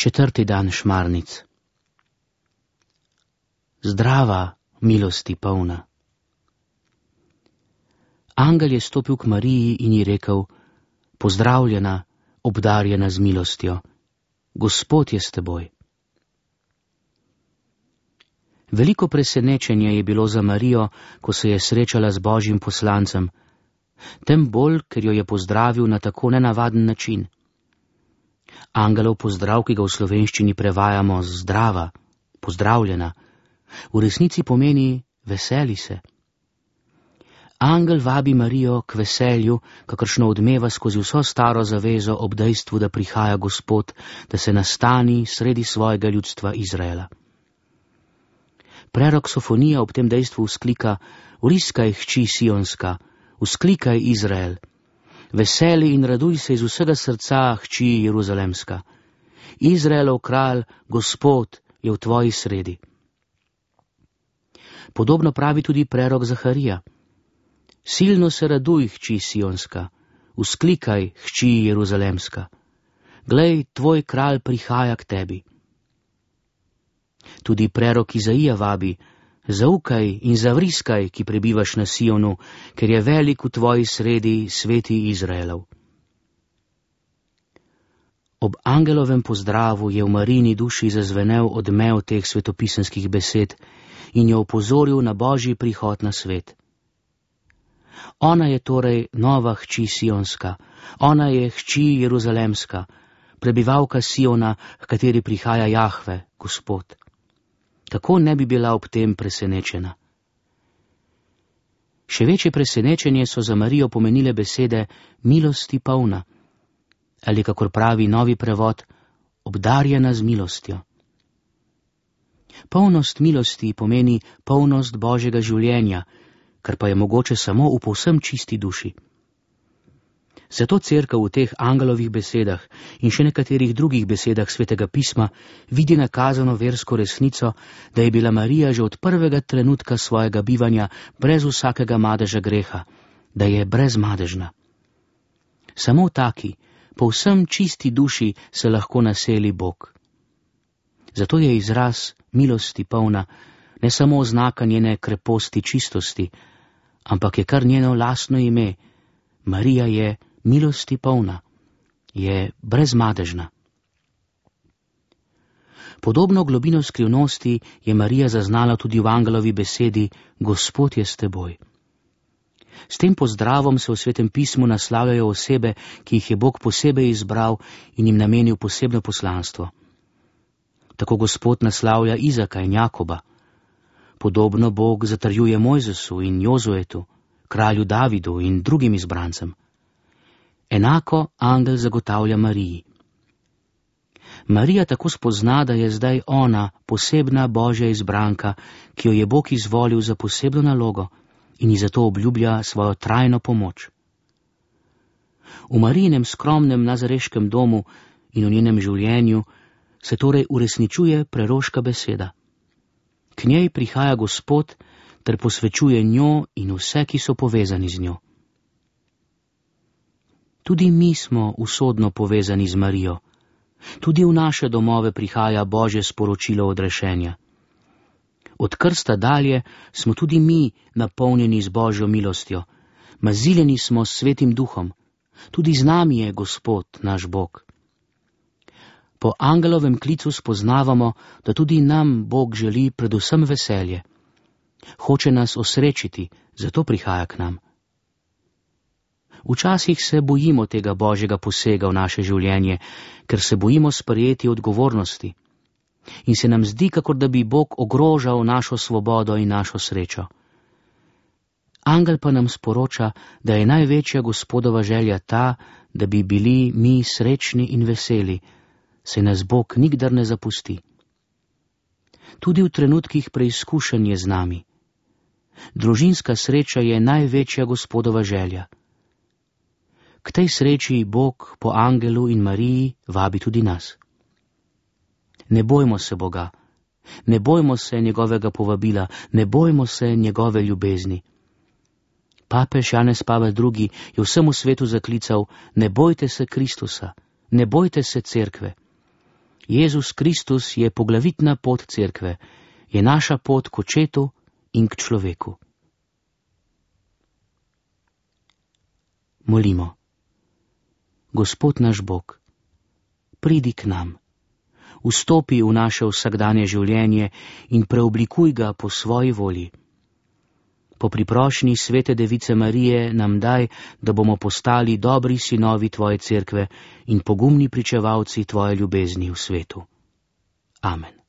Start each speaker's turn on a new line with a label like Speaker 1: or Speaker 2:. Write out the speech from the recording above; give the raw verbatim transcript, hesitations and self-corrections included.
Speaker 1: Četrti dan šmarnic. Zdrava, milosti polna. Angel je stopil k Mariji in ji rekel: Pozdravljena, obdarjena z milostjo, Gospod je s teboj. Veliko presenečenje je bilo za Marijo, ko se je srečala z Božjim poslancem, tem bolj, ker jo je pozdravil na tako nenavaden način. Angelov pozdrav, ki ga v slovenščini prevajamo z zdrava, pozdravljena, v resnici pomeni veseli se. Angel vabi Marijo k veselju, kakršno odmeva skozi vso staro zavezo ob dejstvu, da prihaja Gospod, da se nastani sredi svojega ljudstva Izraela. Prerok Sofonija ob tem dejstvu vzklika: Vriskaj, hči Sionska, vzklikaj Izrael, veseli in raduj se iz vsega srca, hči Jeruzalemska. Izraelov kralj, Gospod, je v tvoji sredi. Podobno pravi tudi prerok Zaharija: Silno se raduj, hči Sionska, vzklikaj, hči Jeruzalemska. Glej, tvoj kralj prihaja k tebi. Tudi prerok Izaija vabi: Zaukaj in zavriskaj, ki prebivaš na Sionu, ker je velik v tvoji sredi sveti Izraelov. Ob angelovem pozdravu je v Marijini duši zazvenel odmev teh svetopisemskih besed in jo opozoril na Božji prihod na svet. Ona je torej nova hči Sionska, ona je hči Jeruzalemska, prebivalka Siona, h kateri prihaja Jahve, Gospod. Kako ne bi bila ob tem presenečena? Še večje presenečenje so za Marijo pomenile besede milosti polna, ali kakor pravi novi prevod, obdarjena z milostjo. Polnost milosti pomeni polnost Božjega življenja, kar pa je mogoče samo v povsem čisti duši. Zato Cerkev v teh angelovih besedah in še nekaterih drugih besedah Svetega pisma vidi nakazano versko resnico, da je bila Marija že od prvega trenutka svojega bivanja brez vsakega madeža greha, da je brezmadežna. Samo v taki, povsem čisti duši se lahko naseli Bog. Zato je izraz milosti polna ne samo oznaka njene kreposti čistosti, ampak je kar njeno lastno ime. Marija je milosti polna, je brezmadežna. Podobno globino skrivnosti je Marija zaznala tudi v angelovi besedi Gospod je s teboj. S tem pozdravom se v Svetem pismu naslavljajo osebe, ki jih je Bog posebej izbral in jim namenil posebno poslanstvo. Tako Gospod naslavlja Izaka in Jakoba. Podobno Bog zatrjuje Mojzesu in Jozuetu, kralju Davidu in drugim izbrancem. Enako angel zagotavlja Mariji. Marija tako spozna, da je zdaj ona posebna Božja izbranka, ki jo je Bog izvolil za posebno nalogo in ji zato obljublja svojo trajno pomoč. V Marijinem skromnem nazareškem domu in v njenem življenju se torej uresničuje preroška beseda. K njej prihaja Gospod ter posvečuje njo in vse, ki so povezani z njo. Tudi mi smo usodno povezani z Marijo. Tudi v naše domove prihaja Božje sporočilo odrešenja. Od krsta dalje smo tudi mi napolnjeni z Božjo milostjo, maziljeni smo s Svetim Duhom, tudi z nami je Gospod, naš Bog. Po angelovem klicu spoznavamo, da tudi nam Bog želi predvsem veselje. Hoče nas osrečiti, zato prihaja k nam. Včasih se bojimo tega Božjega posega v naše življenje, ker se bojimo sprejeti odgovornosti. In se nam zdi, kakor da bi Bog ogrožal našo svobodo in našo srečo. Angel pa nam sporoča, da je največja Gospodova želja ta, da bi bili mi srečni in veseli, saj nas Bog nikdar ne zapusti. Tudi v trenutkih preizkušenj je z nami. Družinska sreča je največja Gospodova želja. K tej sreči Bog po angelu in Mariji vabi tudi nas. Ne bojmo se Boga, ne bojmo se njegovega povabila, ne bojmo se njegove ljubezni. Papež Janez Pavel drugi je vsemu svetu zaklical: ne bojte se Kristusa, ne bojte se cerkve. Jezus Kristus je poglavitna pot cerkve, je naša pot k očetu in k človeku. Molimo. Gospod naš Bog, pridi k nam, vstopi v naše vsakdanje življenje in preoblikuj ga po svoji volji. Po priprošnji svete Device Marije nam daj, da bomo postali dobri sinovi tvoje cerkve in pogumni pričevalci tvoje ljubezni v svetu. Amen.